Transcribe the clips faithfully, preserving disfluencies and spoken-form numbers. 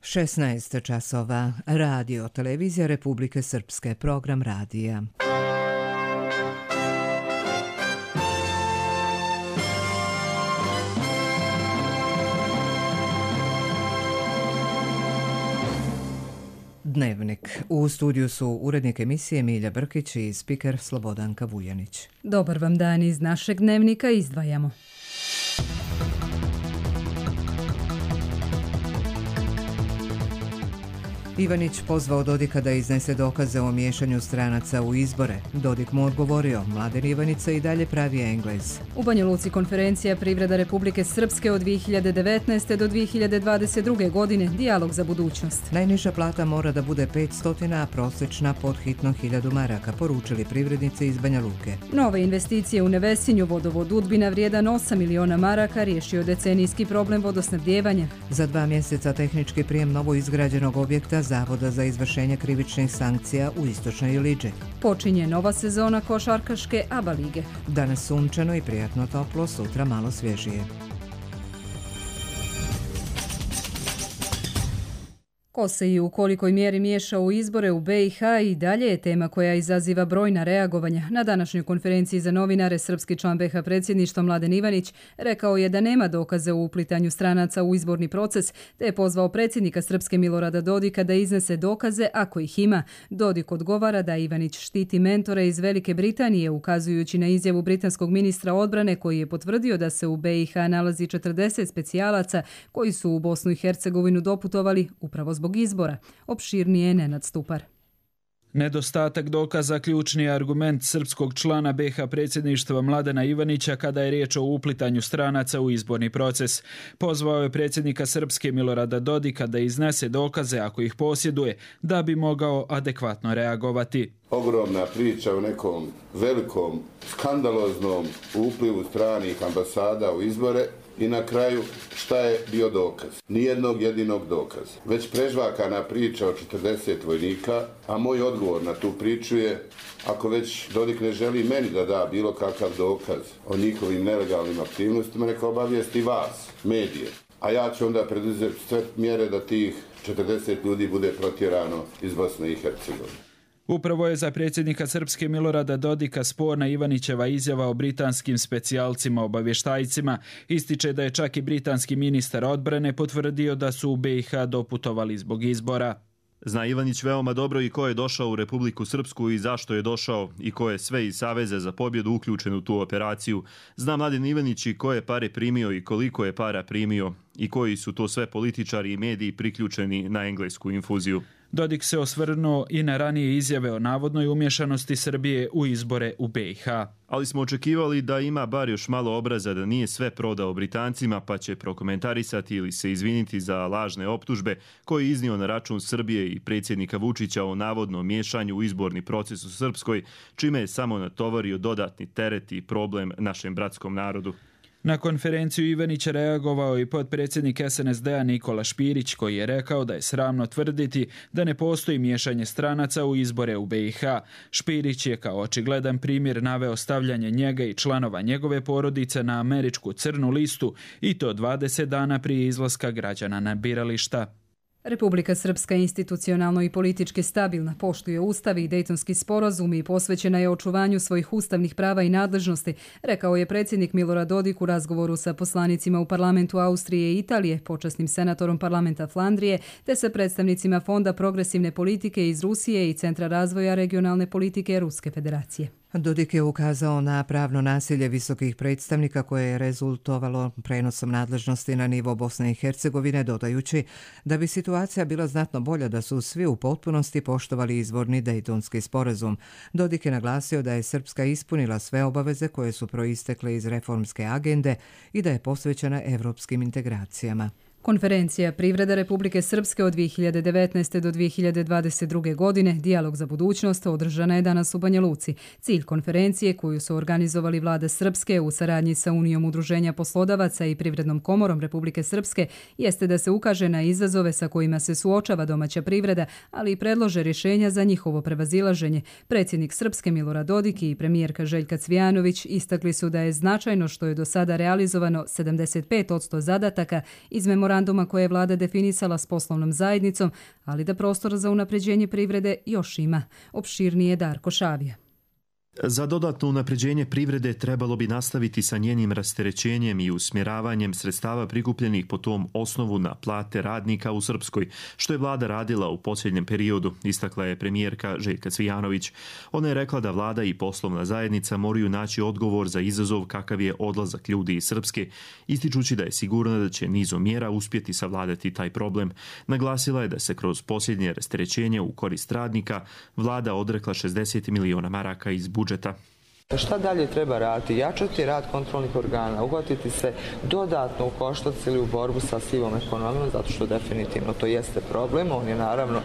šesnaest časova. Radio Televizija Republike Srpske. Program radija. Dnevnik. U studiju su urednik emisije Milja Brkić i spiker Slobodanka Vujanić. Dobar vam dan, iz našeg dnevnika izdvajamo. Ivanić pozvao Dodika da iznese dokaze o miješanju stranaca u izbore. Dodik mu odgovorio, Mladen Ivanica i dalje pravi Englez. U Banja Luci konferencija Privreda Republike Srpske od dvije hiljade devetnaeste. do dvije hiljade dvadeset druge. godine, dijalog za budućnost. Najniža plata mora da bude petsto, a prosječna pod hitno hiljadu maraka, poručili privrednici iz Banja Luke. Nove investicije u Nevesinju, vodovod Udbina vrijedan osam miliona maraka, riješio decenijski problem vodosnabdijevanja. Za dva mjeseca tehnički prijem novo izgrađenog objekta Zavoda za izvršenje krivičnih sankcija u Istočnoj Iliđi. Počinje nova sezona košarkaške ABA lige. Danas sunčano i prijatno toplo, sutra malo svježije. Ko se i u kolikoj mjeri miješa u izbore u B i H i dalje je tema koja izaziva brojna reagovanja. Na današnjoj konferenciji za novinare srpski član B i H predsjedništva Mladen Ivanić rekao je da nema dokaze o uplitanju stranaca u izborni proces, te je pozvao predsjednika Srpske Milorada Dodika da iznese dokaze ako ih ima. Dodik odgovara da Ivanić štiti mentore iz Velike Britanije, ukazujući na izjavu britanskog ministra odbrane koji je potvrdio da se u B i H nalazi četrdeset specijalaca koji su u Bosnu i Hercegovinu doputovali upravo zbog izbora. Opširnije Nenad Stupar. Nedostatak dokaza ključni je argument srpskog člana B i H predsjedništva Mladena Ivanića kada je riječ o uplitanju stranaca u izborni proces. Pozvao je predsjednika Srpske Milorada Dodika da iznese dokaze ako ih posjeduje, da bi mogao adekvatno reagovati. Ogromna priča o nekom velikom, skandaloznom uplivu stranih ambasada u izbore. I na kraju, šta je bio dokaz? Nijednog jedinog dokaza. Već prežvakana priča o četrdeset vojnika, a moj odgovor na tu priču je, ako već Dodik ne želi meni da da bilo kakav dokaz o njihovim nelegalnim aktivnostima, neka obavijesti vas, medije. A ja ću onda preduzeti sve mjere da tih četrdeset ljudi bude protjerano iz Bosne i Hercegovine. Upravo je za predsjednika Srpske Milorada Dodika sporna Ivanićeva izjava o britanskim specijalcima obavještajcima. Ističe da je čak i britanski ministar odbrane potvrdio da su u B i H doputovali zbog izbora. Zna Ivanić veoma dobro i ko je došao u Republiku Srpsku i zašto je došao i ko je sve iz Saveza za pobjedu uključen u tu operaciju. Zna Mladen Ivanić i ko je pare primio i koliko je para primio i koji su to sve političari i mediji priključeni na englesku infuziju. Dodik se osvrnuo i na ranije izjave o navodnoj umješanosti Srbije u izbore u B i H. Ali smo očekivali da ima bar još malo obraza da nije sve prodao Britancima, pa će prokomentarisati ili se izviniti za lažne optužbe koje je iznio na račun Srbije i predsjednika Vučića o navodnom miješanju u izborni proces u Srpskoj, čime je samo natovario dodatni teret i problem našem bratskom narodu. Na konferenciju Ivanića reagovao i potpredsjednik S N S D-a Nikola Špirić, koji je rekao da je sramno tvrditi da ne postoji miješanje stranaca u izbore u B i H. Špirić je kao očigledan primjer naveo stavljanje njega i članova njegove porodice na američku crnu listu i to dvadeset dana prije izlaska građana na birališta. Republika Srpska institucionalno i politički stabilna, poštuje ustav i Dejtonski sporazum i posvećena je očuvanju svojih ustavnih prava i nadležnosti, rekao je predsjednik Milorad Dodik u razgovoru sa poslanicima u parlamentu Austrije i Italije, počasnim senatorom parlamenta Flandrije, te sa predstavnicima Fonda progresivne politike iz Rusije i Centra razvoja regionalne politike Ruske federacije. Dodik je ukazao na pravno nasilje visokih predstavnika koje je rezultovalo prenosom nadležnosti na nivo Bosne i Hercegovine, dodajući da bi situacija bila znatno bolja da su svi u potpunosti poštovali izvorni Dejtonski sporazum. Dodik je naglasio da je Srpska ispunila sve obaveze koje su proistekle iz reformske agende i da je posvećena evropskim integracijama. Konferencija Privreda Republike Srpske od dvije hiljade devetnaeste. do dvije hiljade dvadeset druge. godine, dijalog za budućnost, održana je danas u Banja Luci. Cilj konferencije, koju su organizovali vlada Srpske u saradnji sa Unijom udruženja poslodavaca i Privrednom komorom Republike Srpske, jeste da se ukaže na izazove sa kojima se suočava domaća privreda, ali i predlože rješenja za njihovo prevazilaženje. Predsjednik Srpske Milorad Dodik i premijerka Željka Cvijanović istakli su da je značajno što je do sada realizovano sedamdeset pet posto zadataka iz memoranduma memoranduma koje je vlada definisala s poslovnom zajednicom, ali da prostor za unapređenje privrede još ima. Opširnije Darko Šavija. Za dodatno unapređenje privrede trebalo bi nastaviti sa njenim rasterećenjem i usmjeravanjem sredstava prikupljenih po tom osnovu na plate radnika u Srpskoj, što je vlada radila u posljednjem periodu, istakla je premijerka Željka Cvijanović. Ona je rekla da vlada i poslovna zajednica moraju naći odgovor za izazov kakav je odlazak ljudi iz Srpske, ističući da je sigurna da će nizom mjera uspjeti savladati taj problem. Naglasila je da se kroz posljednje rasterećenje u korist radnika vlada odrekla šezdeset miliona maraka iz budžeta. Šta dalje treba raditi? Jačati rad kontrolnih organa, uhvatiti se dodatno u koštac ili u borbu sa sivom ekonomijom, zato što definitivno to jeste problem. On je naravno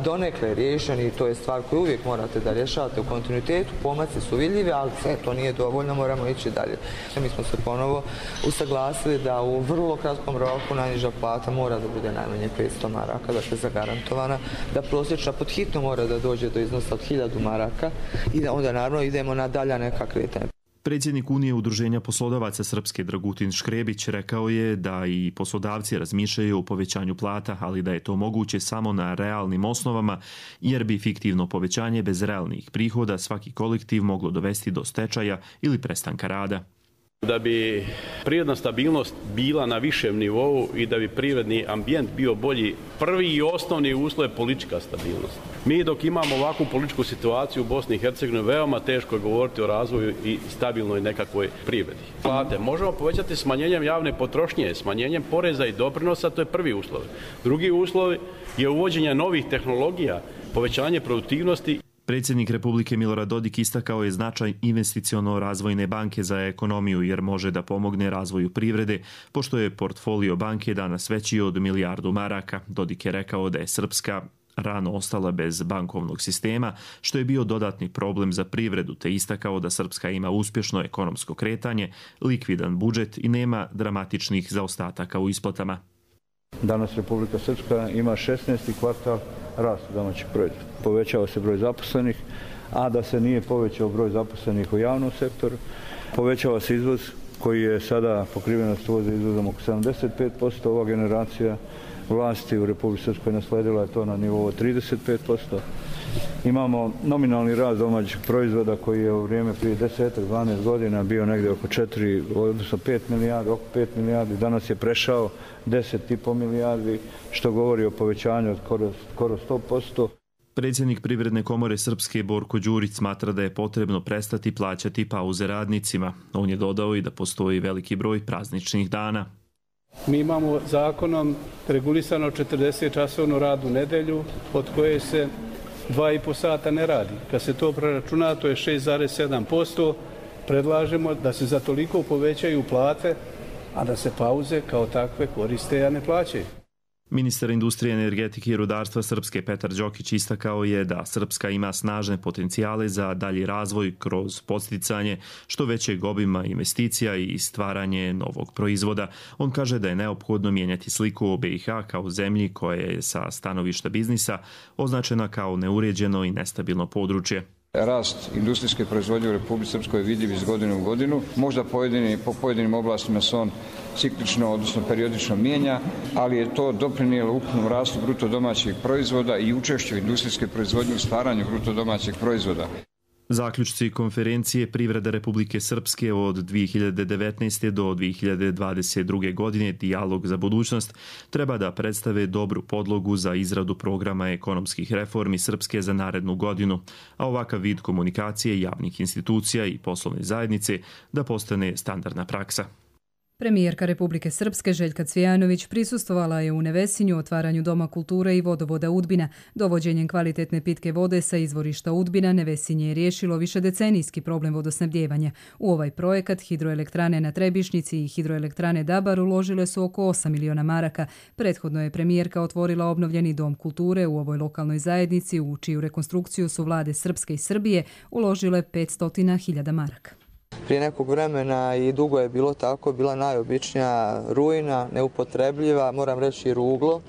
donekle riješen i to je stvar koju uvijek morate da rješavate u kontinuitetu. Pomaci su vidljivi, ali sve to nije dovoljno, moramo ići dalje. Mi smo se ponovo usaglasili da u vrlo kratkom roku najniža plata mora da bude najmanje petsto maraka, dakle zagarantovana, da prosječna pod hitno mora da dođe do iznosa od hiljadu maraka i da onda naravno idemo na dalje neka kretanja. Predsjednik Unije udruženja poslodavaca Srpske Dragutin Škrebić rekao je da i poslodavci razmišljaju o povećanju plata, ali da je to moguće samo na realnim osnovama, jer bi fiktivno povećanje bez realnih prihoda svaki kolektiv moglo dovesti do stečaja ili prestanka rada. Da bi privredna stabilnost bila na višem nivou i da bi privredni ambijent bio bolji, prvi i osnovni uslov je politička stabilnost. Mi dok imamo ovakvu političku situaciju u Bosni i Hercegovini, veoma teško je govoriti o razvoju i stabilnoj nekakvoj privredi. Plate možemo povećati smanjenjem javne potrošnje, smanjenjem poreza i doprinosa, to je prvi uslov. Drugi uslov je uvođenje novih tehnologija, povećanje produktivnosti. Predsjednik Republike Milorad Dodik istakao je značaj investiciono-razvojne banke za ekonomiju jer može da pomogne razvoju privrede, pošto je portfolio banke danas veći od milijardu maraka. Dodik je rekao da je Srpska rano ostala bez bankovnog sistema, što je bio dodatni problem za privredu, te istakao da Srpska ima uspješno ekonomsko kretanje, likvidan budžet i nema dramatičnih zaostataka u isplatama. Danas Republika Srpska ima šesnaesti kvartal rasta domaćeg proizvoda. Povećava se broj zaposlenih, a da se nije povećao broj zaposlenih u javnom sektoru. Povećava se izvoz koji je sada pokrivenost uvoza izvozom oko sedamdeset pet posto. Ova generacija vlasti u Republici Srpskoj nasledila je to na nivou trideset pet posto. Imamo nominalni rast domaćeg proizvoda koji je u vrijeme prije deset do dvanaest godina bio negdje oko četiri, odnosno pet milijardi, oko pet milijardi. Danas je prešao deset i pol milijardi, što govori o povećanju od skoro, skoro sto posto. Predsjednik Privredne komore Srpske Borko Đurić smatra da je potrebno prestati plaćati pauze radnicima. On je dodao i da postoji veliki broj prazničnih dana. Mi imamo zakonom regulisano četrdeset časovnu rad u nedelju, od koje se dva i po sata ne radi. Kad se to preračuna, to je šest zarez sedam posto. Predlažemo da se za toliko povećaju plate, a da se pauze kao takve koriste, a ne plaćaju. Ministar industrije, energetike i rudarstva Srpske Petar Đokić istakao je da Srpska ima snažne potencijale za dalji razvoj kroz podsticanje što većeg obima investicija i stvaranje novog proizvoda. On kaže da je neophodno mijenjati sliku o B i H kao zemlji koja je sa stanovišta biznisa označena kao neuređeno i nestabilno područje. Rast industrijske proizvodnje u Republici Srpskoj je vidljiv iz godine u godinu. Možda pojedini, po pojedinim oblastima se on ciklično, odnosno periodično mijenja, ali je to doprinijelo ukupnom rastu bruto domaćeg proizvoda i učešću industrijske proizvodnje u stvaranju bruto domaćeg proizvoda. Zaključci konferencije Privreda Republike Srpske od dvije hiljade devetnaeste. do dvije hiljade dvadeset druge. godine Dijalog za budućnost treba da predstave dobru podlogu za izradu programa ekonomskih reformi Srpske za narednu godinu, a ovakav vid komunikacije javnih institucija i poslovne zajednice da postane standardna praksa. Premijerka Republike Srpske Željka Cvijanović prisustvovala je u Nevesinju otvaranju Doma kulture i vodovoda Udbina. Dovođenjem kvalitetne pitke vode sa izvorišta Udbina Nevesinje je riješilo višedecenijski problem vodosnabdijevanja. U ovaj projekat hidroelektrane na Trebišnjici i hidroelektrane Dabar uložile su oko osam miliona maraka. Prethodno je premijerka otvorila obnovljeni Dom kulture u ovoj lokalnoj zajednici, u čiju rekonstrukciju su vlade Srpske i Srbije uložile petsto hiljada maraka. Prije nekog vremena i dugo je bilo tako, bila najobičnija ruina, neupotrebljiva, moram reći i ruglo.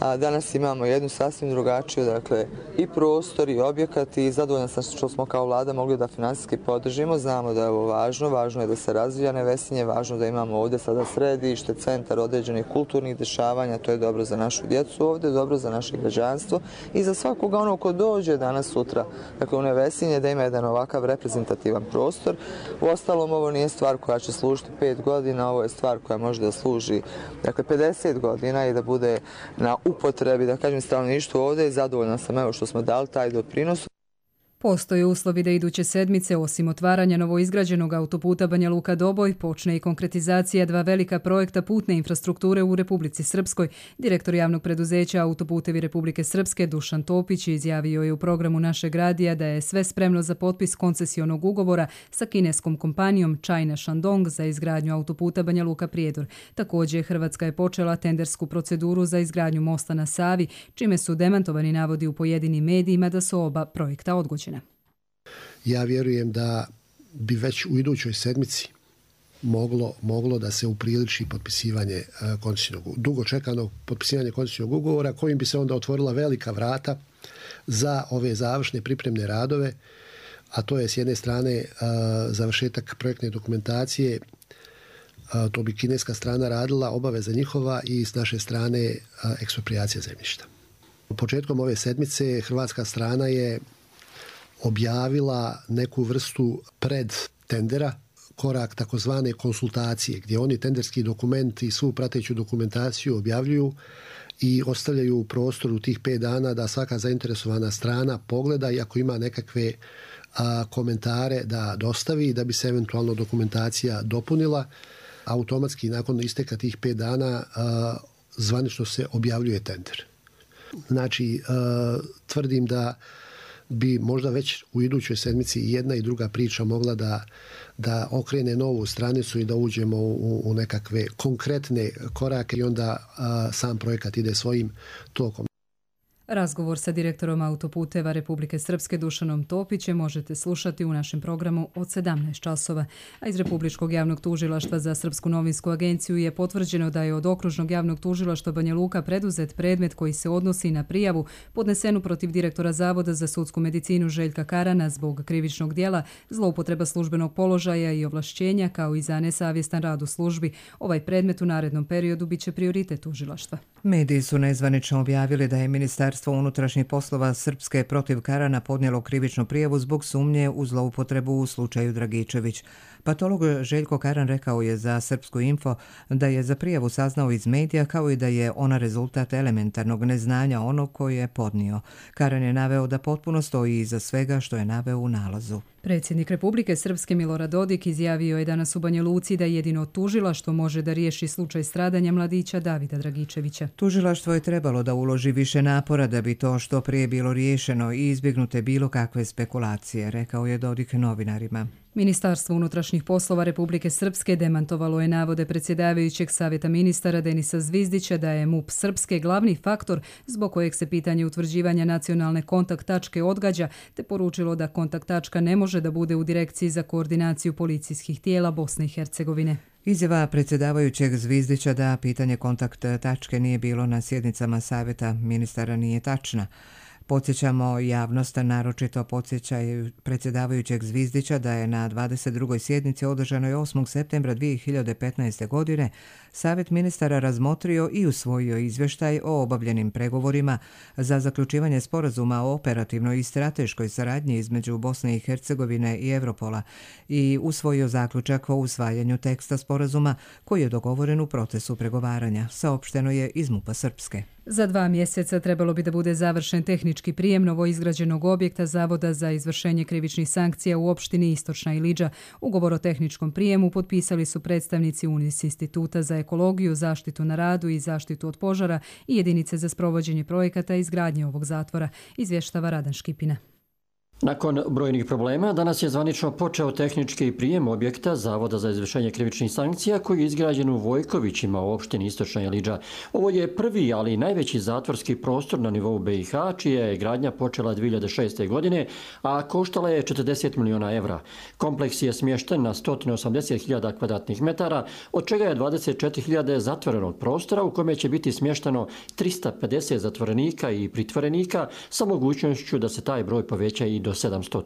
A danas imamo jednu sasvim drugačiju, dakle, i prostor i objekat i zadovoljna sam što smo kao vlada mogli da finansijski podržimo. Znamo da je ovo važno, važno je da se razvija Nevesinje, važno da imamo ovdje sada središte, centar određenih kulturnih dešavanja, to je dobro za našu djecu ovdje, dobro za naše građanstvo i za svakoga ono ko dođe danas sutra. Dakle, u Nevesinje da ima jedan ovakav reprezentativan prostor. Uostalom, ovo nije stvar koja će služiti pet godina, ovo je stvar koja može da služi, dakle, pedeset godina i da bude na upotrebi, da kažem, stanovništvu ovdje i zadovoljna sam evo što smo dali taj doprinos. Postoje uslovi da iduće sedmice, osim otvaranja novoizgrađenog autoputa Banja Luka-Doboj, počne i konkretizacija dva velika projekta putne infrastrukture u Republici Srpskoj. Direktor javnog preduzeća Autoputevi Republike Srpske Dušan Topić izjavio je u programu Našeg radija da je sve spremno za potpis koncesionog ugovora sa kineskom kompanijom China Shandong za izgradnju autoputa Banja Luka-Prijedor. Također, Hrvatska je počela tendersku proceduru za izgradnju mosta na Savi, čime su demantovani navodi u pojedinim medijima da su oba projekta odgođena. Ja vjerujem da bi već u idućoj sedmici moglo, moglo da se upriliči potpisivanje koncesijnog, dugo čekano potpisivanje koncesijnog ugovora kojim bi se onda otvorila velika vrata za ove završne pripremne radove, a to je s jedne strane završetak projektne dokumentacije, to bi kineska strana radila, obaveza njihova, i s naše strane eksproprijacija zemljišta. Početkom ove sedmice hrvatska strana je objavila neku vrstu pred tendera, korak takozvane konsultacije, gdje oni tenderski dokument i svu prateću dokumentaciju objavljuju i ostavljaju u prostoru tih pet dana da svaka zainteresovana strana pogleda i ako ima nekakve a, komentare da dostavi, da bi se eventualno dokumentacija dopunila. Automatski nakon isteka tih pet dana a, zvanično se objavljuje tender. Znači, a, tvrdim da bi možda već u idućoj sedmici jedna i druga priča mogla da, da okrene novu stranicu i da uđemo u, u nekakve konkretne korake i onda a, sam projekat ide svojim tokom. Razgovor sa direktorom Autoputeva Republike Srpske Dušanom Topićem možete slušati u našem programu od sedamnaest časova. A iz Republičkog javnog tužilaštva za Srpsku novinsku agenciju je potvrđeno da je od Okružnog javnog tužilaštva Banja Luka preduzet predmet koji se odnosi na prijavu podnesenu protiv direktora Zavoda za sudsku medicinu Željka Karana zbog krivičnog dijela, zloupotreba službenog položaja i ovlašćenja kao i za nesavjestan rad u službi. Ovaj predmet u narednom periodu biće prioritet tužilaštva. Mediji su nezvanično objavili da je Ministarstvo unutrašnjih poslova Srpske protiv Karana podnijelo krivičnu prijavu zbog sumnje u zloupotrebu u slučaju Dragičević. Patolog Željko Karan rekao je za Srpsku info da je za prijavu saznao iz medija, kao i da je ona rezultat elementarnog neznanja onog koji je podnio. Karan je naveo da potpuno stoji iza svega što je naveo u nalazu. Predsjednik Republike Srpske Milorad Dodik izjavio je danas u Banja Luci da jedino tužilaštvo može da riješi slučaj stradanja mladića Davida Dragičevića. Tužilaštvo je trebalo da uloži više napora da bi to što prije bilo riješeno i izbjegnute bilo kakve spekulacije, rekao je Dodik novinarima. Ministarstvo unutrašnjih poslova Republike Srpske demantovalo je navode predsjedavajućeg savjeta ministara Denisa Zvizdića da je MUP Srpske glavni faktor zbog kojeg se pitanje utvrđivanja nacionalne kontakt tačke odgađa, te poručilo da kontakt tačka ne može da bude u Direkciji za koordinaciju policijskih tijela Bosne i Hercegovine. Izjava predsjedavajućeg Zvizdića da pitanje kontakt tačke nije bilo na sjednicama savjeta ministara nije tačna. Podsjećamo javnost, naročito podsjećaju predsjedavajućeg Zvizdića da je na dvadeset drugoj sjednici održanoj osmog septembra dvije hiljade petnaeste. godine Savjet ministara razmotrio i usvojio izvještaj o obavljenim pregovorima za zaključivanje sporazuma o operativnoj i strateškoj saradnji između Bosne i Hercegovine i Europola i usvojio zaključak o usvajanju teksta sporazuma koji je dogovoren u procesu pregovaranja, saopšteno je iz MUP-a Srpske. Za dva mjeseca trebalo bi da bude završen tehnički prijem novoizgrađenog objekta Zavoda za izvršenje krivičnih sankcija u opštini Istočna Ilidža. Ugovor o tehničkom prijemu potpisali su predstavnici UNIS Instituta za ekologiju, zaštitu na radu i zaštitu od požara i jedinice za sprovođenje projekata izgradnje ovog zatvora, izvještava Radan Škipina. Nakon brojnih problema, danas je zvanično počeo tehnički prijem objekta Zavoda za izvršenje krivičnih sankcija koji je izgrađen u Vojkovićima u opštini Istočna Iliđa. Ovo je prvi, ali i najveći zatvorski prostor na nivou B i H, čija je gradnja počela dvije hiljade šeste. godine, a koštala je četrdeset miliona evra. Kompleks je smješten na sto osamdeset hiljada kvadratnih metara, od čega je dvadeset četiri hiljade zatvorenog prostora u kome će biti smješteno trista pedeset zatvorenika i pritvorenika sa mogućnošću da se taj broj poveća i do sedamsto.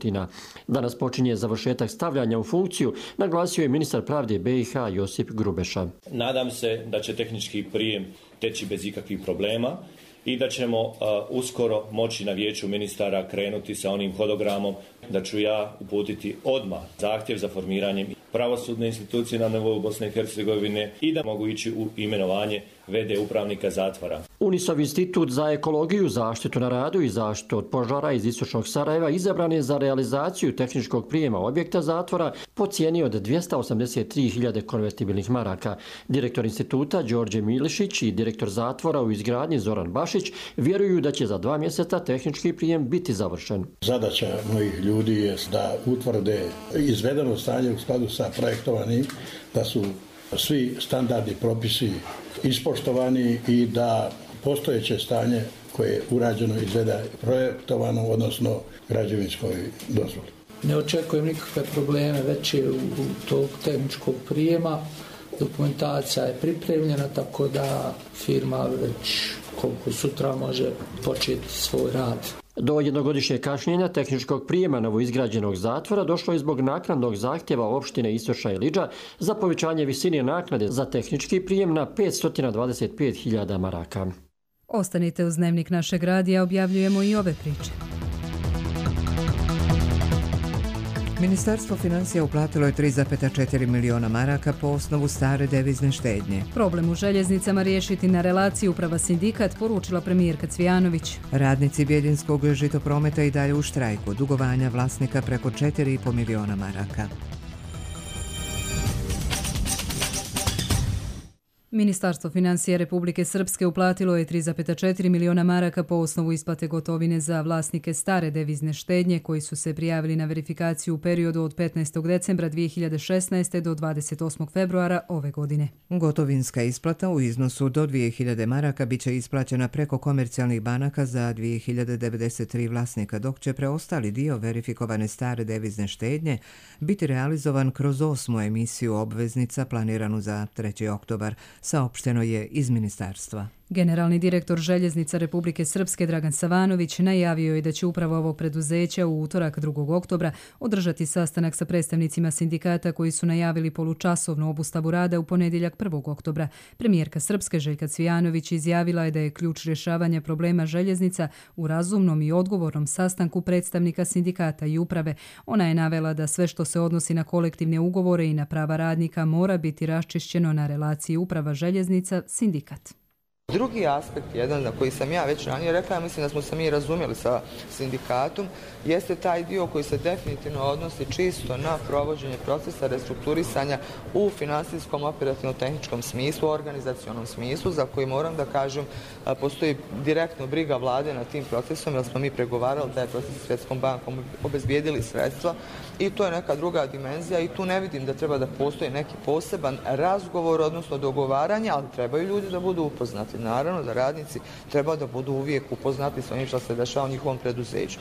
Danas počinje završetak stavljanja u funkciju, naglasio je ministar pravde B i H Josip Grubeša. Nadam se da će tehnički prijem teći bez ikakvih problema i da ćemo uh, uskoro moći na vijeću ministara krenuti sa onim hodogramom da ću ja uputiti odmah zahtjev za formiranjem pravosudne institucije na nivou Bosne i Hercegovine i da mogu ići u imenovanje ve de upravnika zatvora. Unisov institut za ekologiju, zaštitu na radu i zaštitu od požara iz Istočnog Sarajeva izabran je za realizaciju tehničkog prijema objekta zatvora po cijeni od dvjesto osamdeset tri hiljade konvertibilnih maraka. Direktor instituta Đorđe Milišić i direktor zatvora u izgradnji Zoran Bašić vjeruju da će za dva mjeseca tehnički prijem biti završen. Zadaća mojih ljudi je da utvrde izvedeno stanje u skladu sa projektovanim, da su svi standardni propisi ispoštovani i da postojeće stanje koje je urađeno izveda projektovano, odnosno građevinskoj dozvoli. Ne očekujem nikakve probleme veće u, u tog tehničkog prijema. Dokumentacija je pripremljena, tako da firma već koliko sutra može početi svoj rad. Do jednogodišnjeg kašnjenja tehničkog prijema novoizgrađenog zatvora došlo je zbog naknadnog zahtjeva opštine Istočna Iliđa za povećanje visine naknade za tehnički prijem na petsto dvadeset pet hiljada maraka. Ostanite uz Dnevnik našeg radija, objavljujemo i ove priče. Ministarstvo financija uplatilo je tri zarez četiri miliona maraka po osnovu stare devizne štednje. Problem u željeznicama riješiti na relaciji uprava sindikat, poručila premijerka Cvijanović. Radnici Bjeljinskog žitoprometa i dalje u štrajku, dugovanja vlasnika preko četiri zarez pet miliona maraka. Ministarstvo financija Republike Srpske uplatilo je tri zarez četiri miliona maraka po osnovu isplate gotovine za vlasnike stare devizne štednje koji su se prijavili na verifikaciju u periodu od petnaestog decembra dvije hiljade šesnaeste. do dvadeset osmog februara ove godine. Gotovinska isplata u iznosu do dvije hiljade maraka bit će isplaćena preko komercijalnih banaka za dvije hiljade devedeset tri vlasnika, dok će preostali dio verifikovane stare devizne štednje biti realizovan kroz osmu emisiju obveznica planiranu za treći oktobar. Saopšteno je iz ministarstva. Generalni direktor Željeznica Republike Srpske Dragan Savanović najavio je da će upravo ovog preduzeća u utorak drugog oktobra održati sastanak sa predstavnicima sindikata koji su najavili polučasovnu obustavu rada u ponedjeljak prvog oktobra. Premijerka Srpske Željka Cvijanović izjavila je da je ključ rješavanja problema željeznica u razumnom i odgovornom sastanku predstavnika sindikata i uprave. Ona je navela da sve što se odnosi na kolektivne ugovore i na prava radnika mora biti raščišćeno na relaciji uprava željeznica sindikat. Drugi aspekt, jedan na koji sam ja već ranije rekla, ja mislim da smo se mi razumjeli sa sindikatom, jeste taj dio koji se definitivno odnosi čisto na provođenje procesa restrukturisanja u finansijskom, operativno-tehničkom smislu, organizacionom smislu, za koji moram da kažem postoji direktno briga vlade na tim procesom, jer smo mi pregovarali taj proces s Svjetskom bankom, obezbijedili sredstva i to je neka druga dimenzija i tu ne vidim da treba da postoji neki poseban razgovor, odnosno dogovaranje, ali trebaju ljudi da budu upoznati. Naravno da radnici treba da budu uvijek upoznati s onim što se dešava u njihovom preduzeću.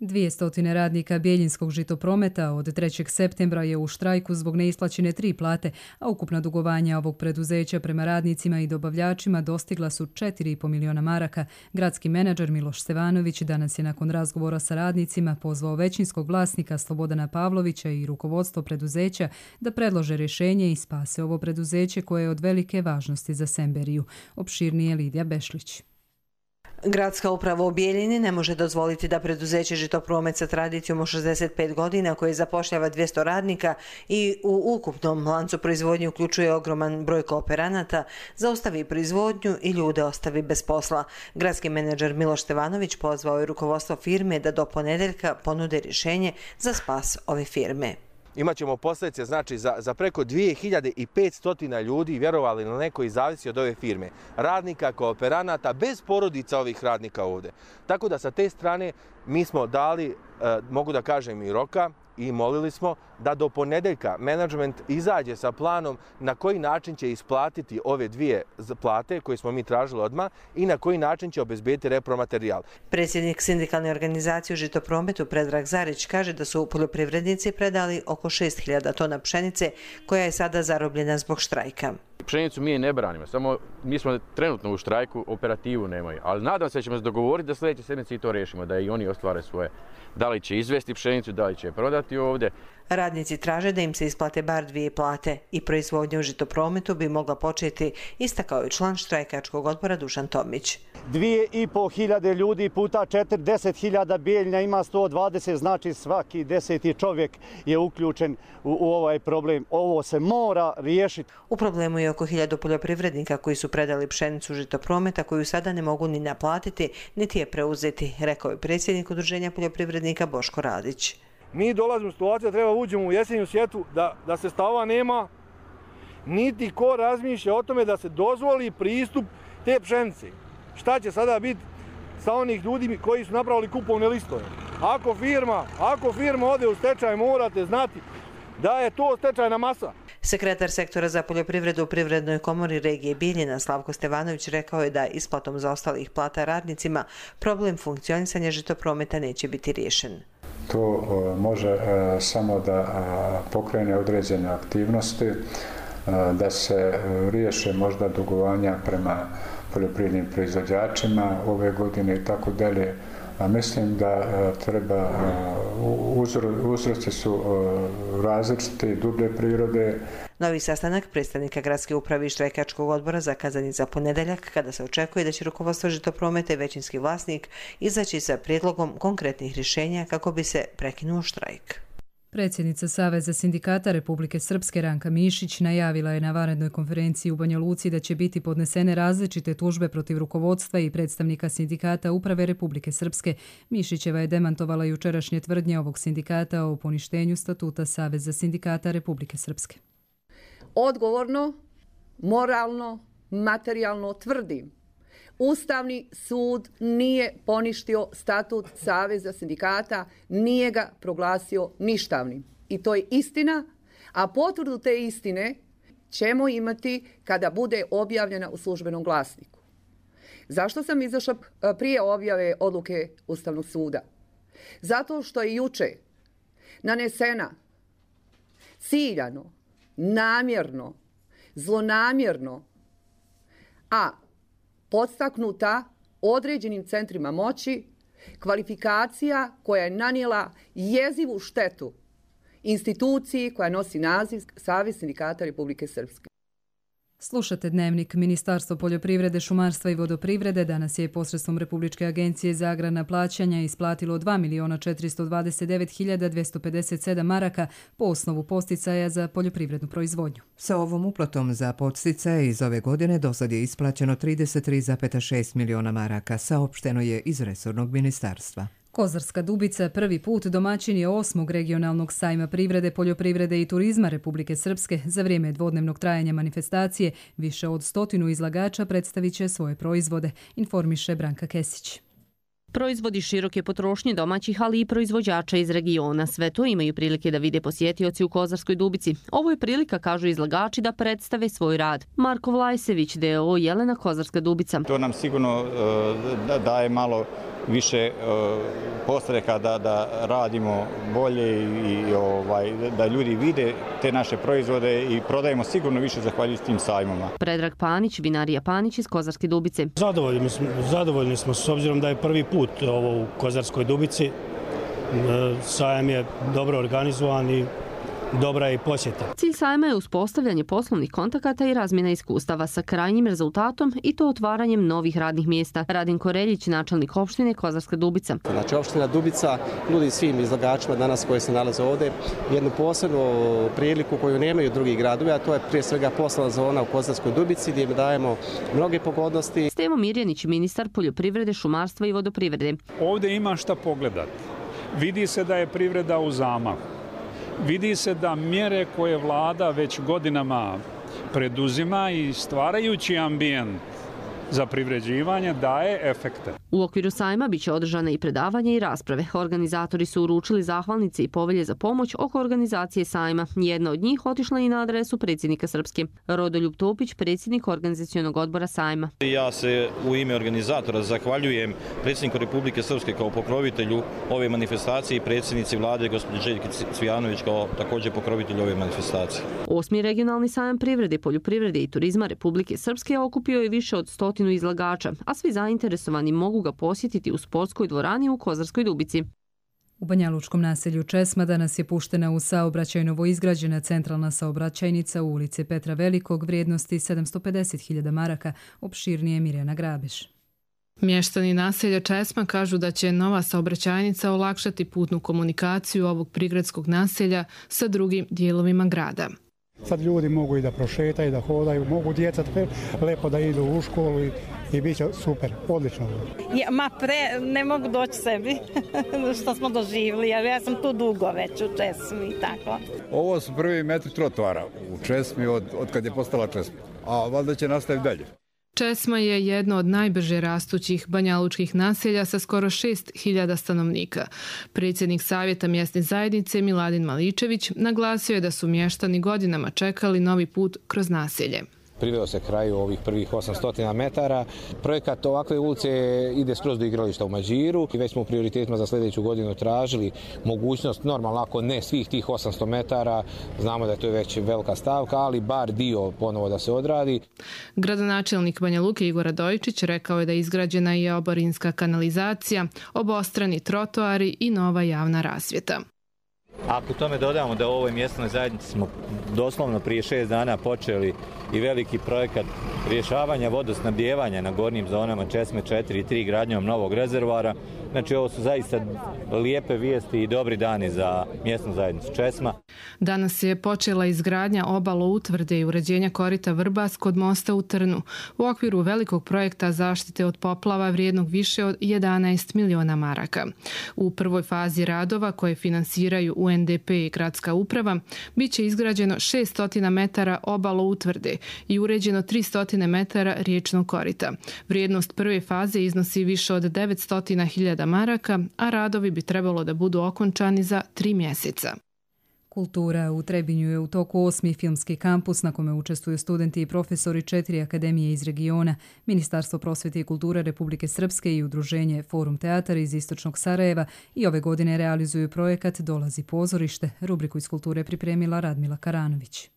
dvjesto radnika Bjeljinskog žitoprometa od trećeg septembra je u štrajku zbog neisplaćene tri plate, a ukupna dugovanja ovog preduzeća prema radnicima i dobavljačima dostigla su četiri zarez pet miliona maraka. Gradski menadžer Miloš Stevanović danas je nakon razgovora sa radnicima pozvao većinskog vlasnika Slobodana Pavlovića i rukovodstvo preduzeća da predlože rješenje i spase ovo preduzeće koje je od velike važnosti za Semberiju. Opširnije Lidija Bešlić. Gradska uprava u Bijeljini ne može dozvoliti da preduzeće Žitopromet sa tradicijom od šezdeset pet godina koje zapošljava dvjesto radnika i u ukupnom lancu proizvodnje uključuje ogroman broj kooperanata, zaustavi proizvodnju i ljude ostavi bez posla. Gradski menadžer Miloš Stevanović pozvao je rukovodstvo firme da do ponedeljka ponude rješenje za spas ove firme. Imaćemo posljedice znači za, za preko dvije hiljade petsto ljudi, vjerovali ili ne, koji zavisi od ove firme. Radnika, kooperanata, bez porodica ovih radnika ovdje. Tako da sa te strane mi smo dali mogu da kažem i roka, i molili smo da do ponedeljka menadžment izađe sa planom na koji način će isplatiti ove dvije plate koje smo mi tražili odmah i na koji način će obezbediti repromaterijal. Predsjednik sindikalne organizacije u Žitoprometu Predrag Zarić kaže da su poljoprivrednici predali oko šest hiljada tona pšenice koja je sada zarobljena zbog štrajka. Pšenicu mi je ne branimo, samo mi smo trenutno u štrajku, operativu nemaju, ali nadam se da ćemo se dogovoriti da sljedeće sedmice i to rešimo, da i oni ostvare svoje. Da li će izvesti pšenicu, da li će je prodati ovdje. Radnici traže da im se isplate bar dvije plate i proizvodnja u Žitoprometu bi mogla početi, istakao je član štrajkačkog odbora Dušan Tomić. Dvije i po hiljade ljudi puta četrdeset hiljada Bijeljina ima sto dvadeset, znači svaki deseti čovjek je uključen u, u ovaj problem. Ovo se mora riješiti. U problemu je oko hiljadu poljoprivrednika koji su predali pšenicu Žitoprometa koju sada ne mogu ni naplatiti, niti je preuzeti, rekao je predsjednik Udruženja poljoprivrednika Boško Radić. Mi dolazimo u situaciju da treba uđemo u jesenju sjetvu, da, da se stava nema, niti ko razmišlja o tome da se dozvoli pristup te pšenice. Šta će sada biti sa onih ljudi koji su napravili kupovne listove? Ako firma, ako firma ode u stečaj, morate znati da je to stečajna masa. Sekretar sektora za poljoprivredu u Privrednoj komori regije Bijeljina Slavko Stevanović rekao je da isplatom zaostalih plata radnicima problem funkcionisanja Žitoprometa neće biti riješen. To može samo da pokrene određene aktivnosti, da se riješe možda dugovanja prema poljoprivrednim proizvođačima ove godine i tako dalje. A mislim da treba, uzroci su različite i dublje prirode. Novi sastanak predstavnika gradske uprave i štrajkačkog odbora zakazan je za ponedeljak, kada se očekuje da će rukovodstvo Žitoprometa i većinski vlasnik izaći sa prijedlogom konkretnih rješenja kako bi se prekinuo štrajk. Predsjednica Saveza sindikata Republike Srpske Ranka Mišić najavila je na vanrednoj konferenciji u Banja Luci da će biti podnesene različite tužbe protiv rukovodstva i predstavnika sindikata Uprave Republike Srpske. Mišićeva je demantovala jučerašnje tvrdnje ovog sindikata o poništenju statuta Saveza sindikata Republike Srpske. Odgovorno, moralno, materijalno tvrdim. Ustavni sud nije poništio statut Saveza sindikata, nije ga proglasio ništavnim. I to je istina, a potvrdu te istine ćemo imati kada bude objavljena u službenom glasniku. Zašto sam izašla prije objave odluke Ustavnog suda? Zato što je juče nanesena ciljano, namjerno, zlonamjerno, a podstaknuta određenim centrima moći, kvalifikacija koja je nanijela jezivu štetu instituciji koja nosi naziv Savez sindikata Republike Srpske. Slušate Dnevnik. Ministarstvo poljoprivrede, šumarstva i vodoprivrede danas je posredstvom Republičke agencije za agrarna plaćanja isplatilo dva miliona četiristo dvadeset devet hiljada dvjesto pedeset sedam maraka po osnovu podsticaja za poljoprivrednu proizvodnju. Sa ovom uplatom za podsticaje iz ove godine dosad je isplaćeno trideset tri zarez šest miliona maraka, saopšteno je iz resornog ministarstva. Kozarska Dubica prvi put domaćin je osmog regionalnog sajma privrede, poljoprivrede i turizma Republike Srpske. Za vrijeme dvodnevnog trajanja manifestacije više od stotinu izlagača predstavit će svoje proizvode, informiše Branka Kesić. Proizvodi široke potrošnje domaćih, ali i proizvođača iz regiona. Sve to imaju prilike da vide posjetioci u Kozarskoj Dubici. Ovo je prilika, kažu izlagači, da predstave svoj rad. Marko Vlajsević, d o o Jelena Kozarska Dubica. To nam sigurno uh, daje malo više uh, postreka da, da radimo bolje i ovaj, da ljudi vide te naše proizvode i prodajemo sigurno više zahvaljujući tim sajmama. Predrag Panić, vinarija Panić iz Kozarske Dubice. Zadovoljni smo, zadovoljni smo s obzirom da je prvi put ovo u Kozarskoj Dubici. Sajam je dobro organizovan i dobra je i posjeta. Cilj sajma je uspostavljanje poslovnih kontakata i razmjena iskustava sa krajnjim rezultatom i to otvaranjem novih radnih mjesta. Radin Koreljić, načelnik opštine Kozarska Dubica. Znači, opština Dubica nudi svim izlagačima danas koji se nalaze ovdje jednu posebnu priliku koju nemaju drugi gradovi, a to je prije svega poslovna zona u Kozarskoj Dubici gdje im dajemo mnoge pogodnosti. Stevo Mirjanić, ministar poljoprivrede, šumarstva i vodoprivrede. Ovdje ima šta pogledati. Vidi se da je privreda u zamahu. Vidi se da mjere koje vlada već godinama preduzima i stvarajući ambijent za privređivanje daje efekte. U okviru sajma biće održane i predavanja i rasprave. Organizatori su uručili zahvalnice i povelje za pomoć oko organizacije sajma. Jedna od njih otišla i na adresu predsjednika Srpske. Rodoljub Topić, predsjednik organizacionog odbora sajma. Ja se u ime organizatora zahvaljujem predsjedniku Republike Srpske kao pokrovitelju ove manifestacije i predsjednici vlade gospođi Željki Cvijanović kao također pokrovitelju ove manifestacije. Osmi regionalni sajam privrede, poljoprivrede i turizma Republike Srpske okupio je više od stotinu izlagača, a svi zainteresovani mogu ga posjetiti u sportskoj dvorani u Kozarskoj Dubici. U Banjalučkom naselju Česma danas je puštena u saobraćaj novoizgrađena centralna saobraćajnica u ulici Petra Velikog vrijednosti sedamsto pedeset hiljada maraka, opširnije Mirjana Grabeš. Mještani naselja Česma kažu da će nova saobraćajnica olakšati putnu komunikaciju ovog prigradskog naselja sa drugim dijelovima grada. Sad ljudi mogu i da prošetaju, da hodaju, mogu djeca lepo da idu u školu i, i bit će super, odlično. Ja, ma pre, ne mogu doći sebi što smo doživjeli, jer ja sam tu dugo već u Česmi i tako. Ovo su prvi metri trotoara u Česmi od, od kad je postala Česma, a valjda će nastaviti dalje. Česma je jedno od najbrže rastućih banjalučkih naselja sa skoro šest hiljada stanovnika. Predsjednik Savjeta mjesne zajednice Miladin Maličević naglasio je da su mještani godinama čekali novi put kroz naselje. Priveo se kraju ovih prvih osamsto metara. Projekat ovakve ulice ide skroz do igrališta u Mađiru i već smo u prioritetima za sljedeću godinu tražili mogućnost, normalno ako ne svih tih osamsto metara, znamo da je to već velika stavka, ali bar dio ponovo da se odradi. Gradonačelnik Banja Luke Igor Radojičić rekao je da je izgrađena i oborinska kanalizacija, obostrani trotoari i nova javna rasvjeta. Ako tome dodamo da u ovoj mjesnoj zajednici smo doslovno prije šest dana počeli i veliki projekat rješavanja vodosnabdijevanja na gornjim zonama Česme četiri i tri gradnjom novog rezervoara, znači ovo su zaista lijepe vijesti i dobri dani za mjesnu zajednicu Česma. Danas je počela izgradnja obalo utvrde i uređenja korita Vrbas kod mosta u Trnu u okviru velikog projekta zaštite od poplava vrijednog više od jedanaest miliona maraka. U prvoj fazi radova koje finansiraju U N D P i gradska uprava biće izgrađeno šessto metara obalo utvrde i uređeno tristo metara riječnog korita. Vrijednost prve faze iznosi više od devetsto hiljada maraka, a radovi bi trebalo da budu okončani za tri mjeseca. Kultura u Trebinju je u toku osmi filmski kampus na kome učestvuju studenti i profesori četiri akademije iz regiona, Ministarstvo prosvjete i kulture Republike Srpske i udruženje Forum Teatar iz Istočnog Sarajeva i ove godine realizuju projekat Dolazi pozorište. Rubriku iz kulture pripremila Radmila Karanović.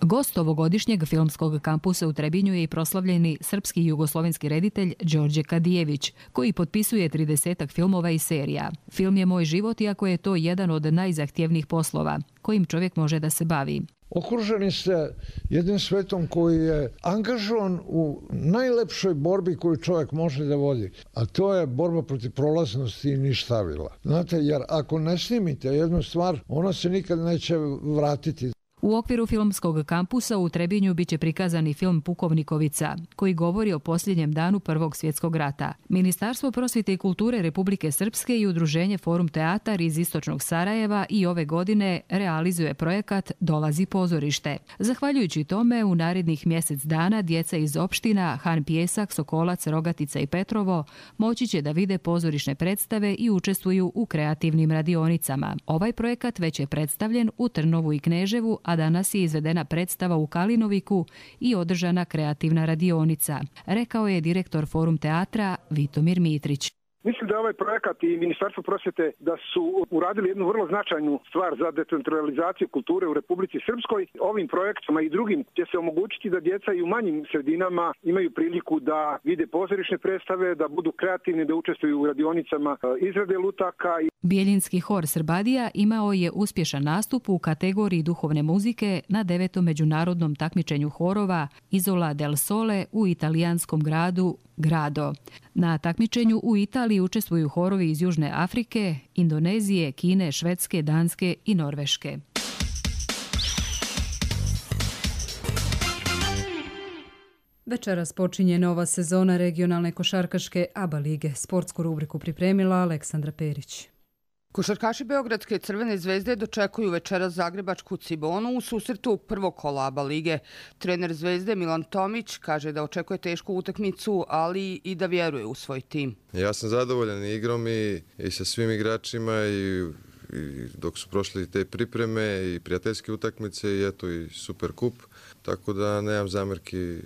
Gost ovogodišnjeg filmskog kampusa u Trebinju je i proslavljeni srpski i jugoslovenski reditelj Đorđe Kadijević, koji potpisuje tridesetak filmova i serija. Film je Moj život, iako je to jedan od najzahtjevnijih poslova kojim čovjek može da se bavi. Okruženi ste jednim svetom koji je angažovan u najlepšoj borbi koju čovjek može da vodi, a to je borba protiv prolaznosti i ništavila. Znate, jer ako ne snimite jednu stvar, ona se nikad neće vratiti. U okviru filmskog kampusa u Trebinju biće prikazani film Pukovnikovica, koji govori o posljednjem danu Prvog svjetskog rata. Ministarstvo prosvjete i kulture Republike Srpske i udruženje Forum Teatar iz Istočnog Sarajeva i ove godine realizuje projekat Dolazi pozorište. Zahvaljujući tome, u narednih mjesec dana djeca iz opština Han Pjesak, Sokolac, Rogatica i Petrovo moći će da vide pozorišne predstave i učestvuju u kreativnim radionicama. Ovaj projekat već je predstavljen u Trnovu i Kneževu, a danas je izvedena predstava u Kalinoviku i održana kreativna radionica, rekao je direktor Forum Teatra Vitomir Mitrić. Mislim da je ovaj projekat i Ministarstvo prosvjete da su uradili jednu vrlo značajnu stvar za decentralizaciju kulture u Republici Srpskoj. Ovim projektima i drugim će se omogućiti da djeca i u manjim sredinama imaju priliku da vide pozorišne predstave, da budu kreativni, da učestvuju u radionicama izrade lutaka. Bijeljinski hor Srbadija imao je uspješan nastup u kategoriji duhovne muzike na devetom međunarodnom takmičenju horova Isola del Sole u italijanskom gradu Grado. Na takmičenju u Italiji učestvuju horovi iz Južne Afrike, Indonezije, Kine, Švedske, Danske i Norveške. Večeras počinje nova sezona regionalne košarkaške A B A lige. Sportsku rubriku pripremila Aleksandra Perić. Košarkaši Beogradske Crvene zvezde dočekuju večeras zagrebačku Cibonu u susretu prvog kola ABA lige. Trener Zvezde Milan Tomić kaže da očekuje tešku utakmicu, ali i da vjeruje u svoj tim. Ja sam zadovoljan igrom i, i sa svim igračima i, i dok su prošli te pripreme i prijateljske utakmice i eto i Super kup, tako da nemam zamjerki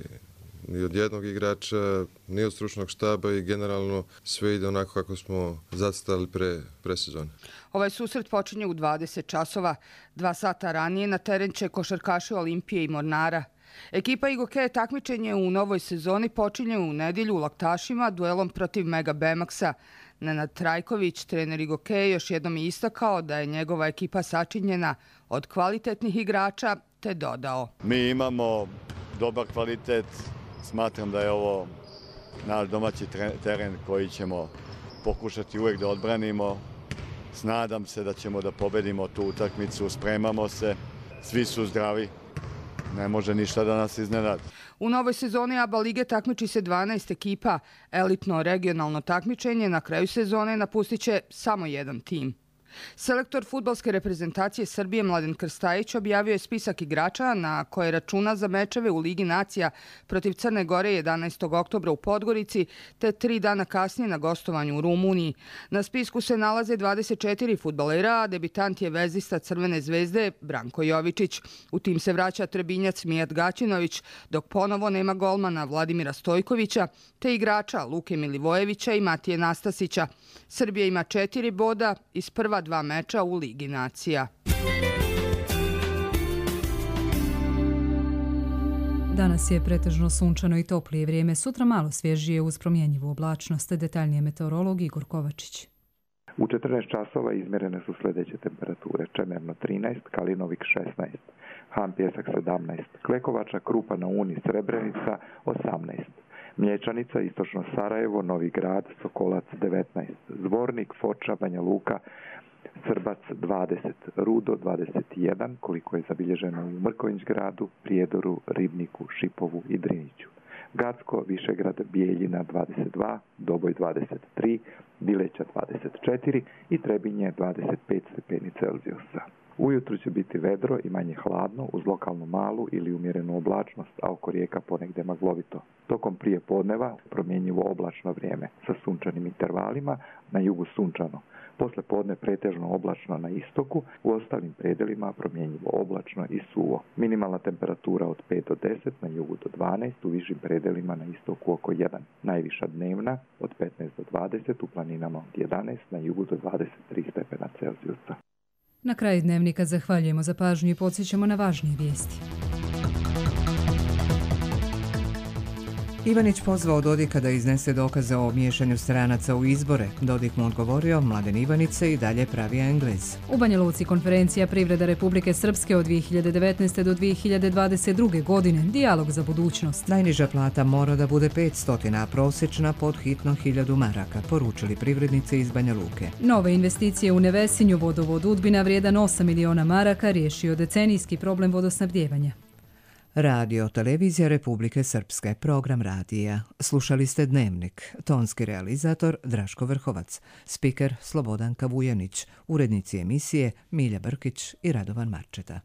ni od jednog igrača, ni od stručnog štaba i generalno sve ide onako kako smo zacrtali pre, pre sezone. Ovaj susret počinje u dvadeset časova. Dva sata ranije na teren će košarkaši Olimpije i Mornara. Ekipa Igoke takmičenje u novoj sezoni počinje u nedjelju u Laktašima duelom protiv Mega Bemaksa. Nenad Trajković, trener Igoke, još jednom je istakao da je njegova ekipa sačinjena od kvalitetnih igrača, te dodao. Mi imamo dobar kvalitet. Smatram da je ovo naš domaći teren koji ćemo pokušati uvijek da odbranimo. Nadam se da ćemo da pobedimo tu utakmicu, spremamo se, svi su zdravi, ne može ništa da nas iznenadi. U novoj sezoni ABA lige takmiči se dvanaest ekipa. Elitno regionalno takmičenje na kraju sezone napustit će samo jedan tim. Selektor fudbalske reprezentacije Srbije Mladen Krstajić objavio je spisak igrača na koje računa za mečeve u Ligi nacija protiv Crne Gore jedanaestog oktobra u Podgorici te tri dana kasnije na gostovanju u Rumuniji. Na spisku se nalaze dvadeset četiri fudbalera, a debitant je vezista Crvene zvezde Branko Jovičić. U tim se vraća Trebinjac Mijat Gaćinović, dok ponovo nema golmana Vladimira Stojkovića te igrača Luke Milivojevića i Matije Nastasića. Srbija ima četiri boda iz prva dva meča u Ligi nacija. Danas je pretežno sunčano i toplije vrijeme, sutra malo svježije uz promjenjivu oblačnost. Detaljnije meteorolog Igor Kovačić. U četrnaest časova izmjerene su sljedeće temperature: Čemerno trinaest, Kalinovik šesnaest, Han Pjesak sedamnaest, Klekovača, Krupa na Uni, Srebrenica osamnaest, Mlječanica, Istočno Sarajevo, Novi Grad, Sokolac devetnaest, Zvornik, Foča, Banja Luka, Srbac dvadeset, Rudo dvadeset jedan, koliko je zabilježeno u Mrkonjić-gradu, Prijedoru, Ribniku, Šipovu i Driniću. Gacko, Višegrad, Bijeljina dvadeset dva, Doboj dvadeset tri, Bileća dvadeset četiri i Trebinje dvadeset pet stepeni Celzijusa. Ujutro će biti vedro i manje hladno uz lokalnu malu ili umjerenu oblačnost, a oko rijeka ponegdje maglovito. Tokom prije podneva promjenjivo oblačno vrijeme sa sunčanim intervalima, na jugu sunčano. Posle podne pretežno oblačno na istoku, u ostalim predelima promjenjivo oblačno i suvo. Minimalna temperatura od pet do deset, na jugu do dvanaest, u višim predelima na istoku oko jedan. Najviša dnevna od petnaest do dvadeset, u planinama od jedanaest, na jugu do dvadeset tri stepena Celzijusa. Na kraju dnevnika zahvaljujemo za pažnju i podsjećamo na važnije vijesti. Ivanić pozvao Dodika da iznese dokaze o miješanju stranaca u izbore. Dodik mu odgovorio, Mladen Ivanić se i dalje pravi Englez. U Banja Luci konferencija Privreda Republike Srpske od dvije hiljade devetnaeste. do dvije hiljade dvadeset druge. godine. Dijalog za budućnost. Najniža plata mora da bude petsto, a prosječna pod hitno hiljadu maraka, poručili privrednice iz Banja Luke. Nove investicije u Nevesinju, vodovod Udbina vrijedan osam miliona maraka riješio decenijski problem vodosnabdijevanja. Radio Televizija Republike Srpske, program radija. Slušali ste Dnevnik, tonski realizator Draško Vrhovac, spiker Slobodanka Vujanić, urednici emisije Milja Brkić i Radovan Marčeta.